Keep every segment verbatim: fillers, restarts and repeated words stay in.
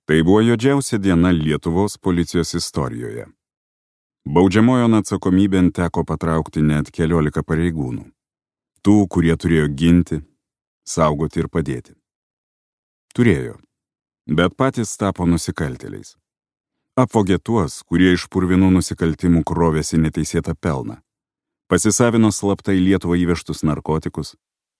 Tai buvo juodžiausia diena Lietuvos policijos istorijoje. Baudžiamojon atsakomybėn teko patraukti net keliolika pareigūnų. Tų, kurie turėjo ginti, saugoti ir padėti. Turėjo, bet patys tapo nusikaltėliais. Apvogė tuos, kurie iš purvinų nusikaltimų krovėsi neteisėtą pelną. Pasisavino slaptai Lietuvą įvežtus narkotikus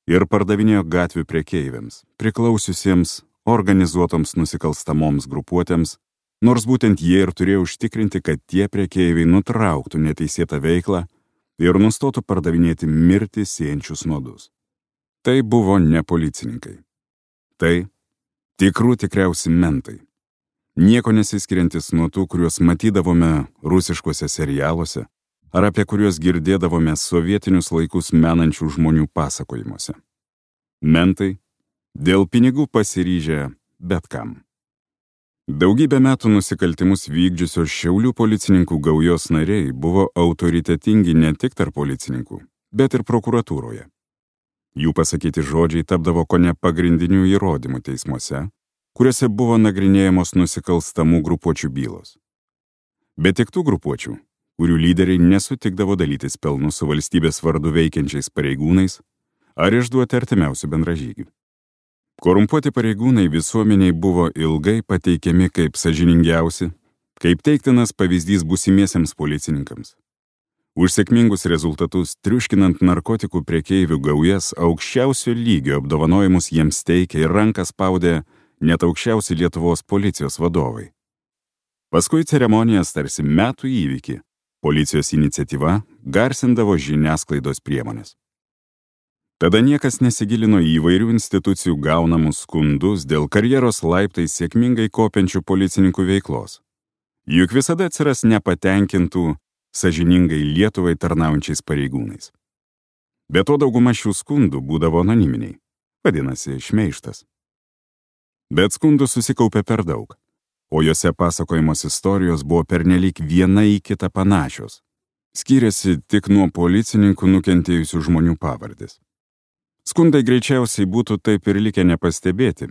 ir pardavinėjo gatvių prekeiviams, priklausiusiems organizuotoms nusikalstamoms grupuotėms, nors būtent jie ir turėjo užtikrinti, kad tie prekeiviai nutrauktų neteisėtą veiklą ir nustotų pardavinėti mirtį siejančius nuodus. Tai buvo ne policininkai. Tai tikrų tikriausi mentai. Nieko nesiskiriantis nuo tų, kuriuos matydavome rusiškuose serialuose ar apie kuriuos girdėdavome sovietinius laikus menančių žmonių pasakojimuose. Mentai dėl pinigų pasiryžę bet kam. Daugybę metų nusikaltimus vykdžiusios Šiaulių policininkų gaujos nariai buvo autoritetingi ne tik tarp policininkų, bet ir prokuratūroje. Jų pasakyti žodžiai tapdavo kone pagrindinių įrodymų teismuose, kuriuose buvo nagrinėjamos nusikalstamų grupuočių bylos. Bet tik tų grupuočių, kurių lyderiai nesutikdavo dalytis pelnu su valstybės vardu veikiančiais pareigūnais ar išduoti artimiausių bendražygių. Korumpuoti pareigūnai visuomeniai buvo ilgai pateikiami kaip sąžiningiausi, kaip teiktinas pavyzdys būsimiesiems policininkams. Už sėkmingus rezultatus, triuškinant narkotikų prekeivių gaujas, aukščiausio lygio apdovanojimus jiems teikė ir ranką spaudė net aukščiausi Lietuvos policijos vadovai. Paskui ceremonijas tarsi metų įvykį, policijos iniciatyva garsindavo žiniasklaidos priemonės. Tada niekas nesigilino į įvairių institucijų gaunamus skundus dėl karjeros laiptais sėkmingai kopiančių policininkų veiklos. Juk visada atsiras nepatenkintų, sąžiningai Lietuvai tarnaujančiais pareigūnais. Be to dauguma šių skundų būdavo anoniminiai, vadinasi šmeižtas. Bet skundų susikaupė per daug, o jose pasakojamos istorijos buvo pernelyg viena į kitą panašios. Skyrėsi tik nuo policininkų nukentėjusių žmonių pavardės. Skundai greičiausiai būtų taip ir likę nepastebėti,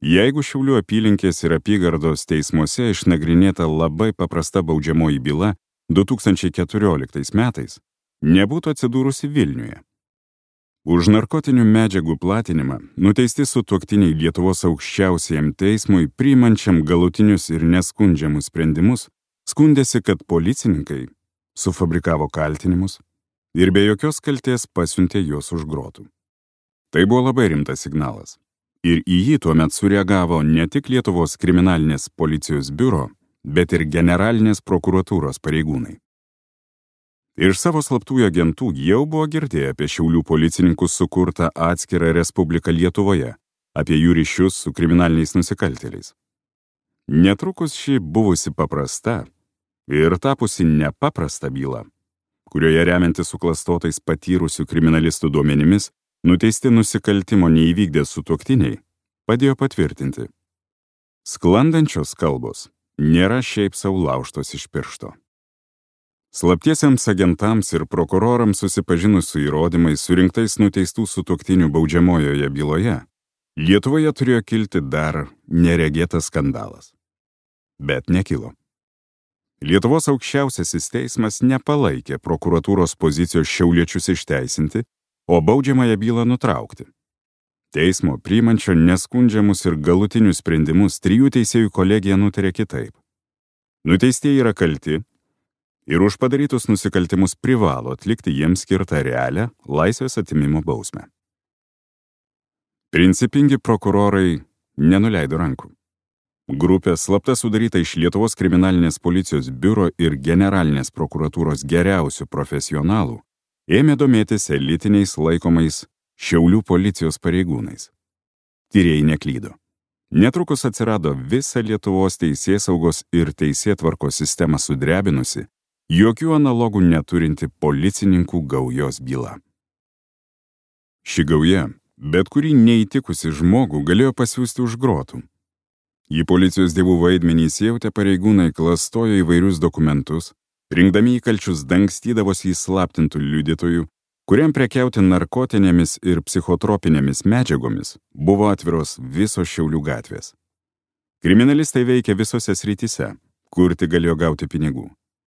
jeigu Šiaulių apylinkės ir apygardos teismuose išnagrinėta labai paprasta baudžiamoji byla du tūkstančiai keturioliktais metais nebūtų atsidūrusi Vilniuje. Už narkotinių medžiagų platinimą nuteisti sutuoktiniai Lietuvos aukščiausiajam teismui priimančiam galutinius ir neskundžiamus sprendimus skundėsi, kad policininkai sufabrikavo kaltinimus ir be jokios kaltės pasiuntė juos už grotų. Tai buvo labai rimtas signalas. Ir į jį tuomet sureagavo ne tik Lietuvos kriminalinės policijos biuro, bet ir generalinės prokuratūros pareigūnai. Iš savo slaptųjų agentų jau buvo girdėję apie Šiaulių policininkų sukurtą atskirą respubliką Lietuvoje, apie jų ryšius su kriminaliniais nusikaltėliais. Netrukus ši buvusi paprasta ir tapusi nepaprasta byla, kurioje remiantis suklastotais patyrusių kriminalistų duomenimis, nuteisti nusikaltimo neįvykdę sutuoktiniai, padėjo patvirtinti. Sklandančios kalbos nėra šiaip sau laužtos iš piršto. Slaptiesiems agentams ir prokurorams susipažinus su įrodymais surinktais nuteistų sutuoktinių baudžiamojoje byloje, Lietuvoje turėjo kilti dar neregėtas skandalas. Bet nekilo. Lietuvos aukščiausiasis teismas nepalaikė prokuratūros pozicijos šiauliečius išteisinti, o baudžiamąją bylą nutraukti. Teismo priimančio neskundžiamus ir galutinius sprendimus trijų teisėjų kolegija nutarė kitaip. Nuteistieji yra kalti ir už padarytus nusikaltimus privalo atlikti jiems skirtą realią laisvės atėmimo bausmę. Principingi prokurorai nenuleido rankų. Grupė slapta sudaryta iš Lietuvos kriminalinės policijos biuro ir generalinės prokuratūros geriausių profesionalų ėmė domėtis elitiniais laikomais Šiaulių policijos pareigūnais. Tyrėjai neklydo. Netrukus atsirado visa Lietuvos teisėsaugos ir teisėtvarkos sistemą sudrebinusi, jokių analogų neturinti policininkų gaujos byla. Ši gauja, bet kurį neįtikusi žmogų galėjo pasiųsti už grotų. Į policijos dievų vaidmenį įsijautę pareigūnai klastojo įvairius dokumentus, rinkdami įkalčius dangstydavosi įslaptintų liudytojų, kuriam prekiauti narkotinėmis ir psichotropinėmis medžiagomis buvo atviros visos Šiaulių gatvės. Kriminalistai veikia visose srityse, kur tik galėjo gauti pinigų.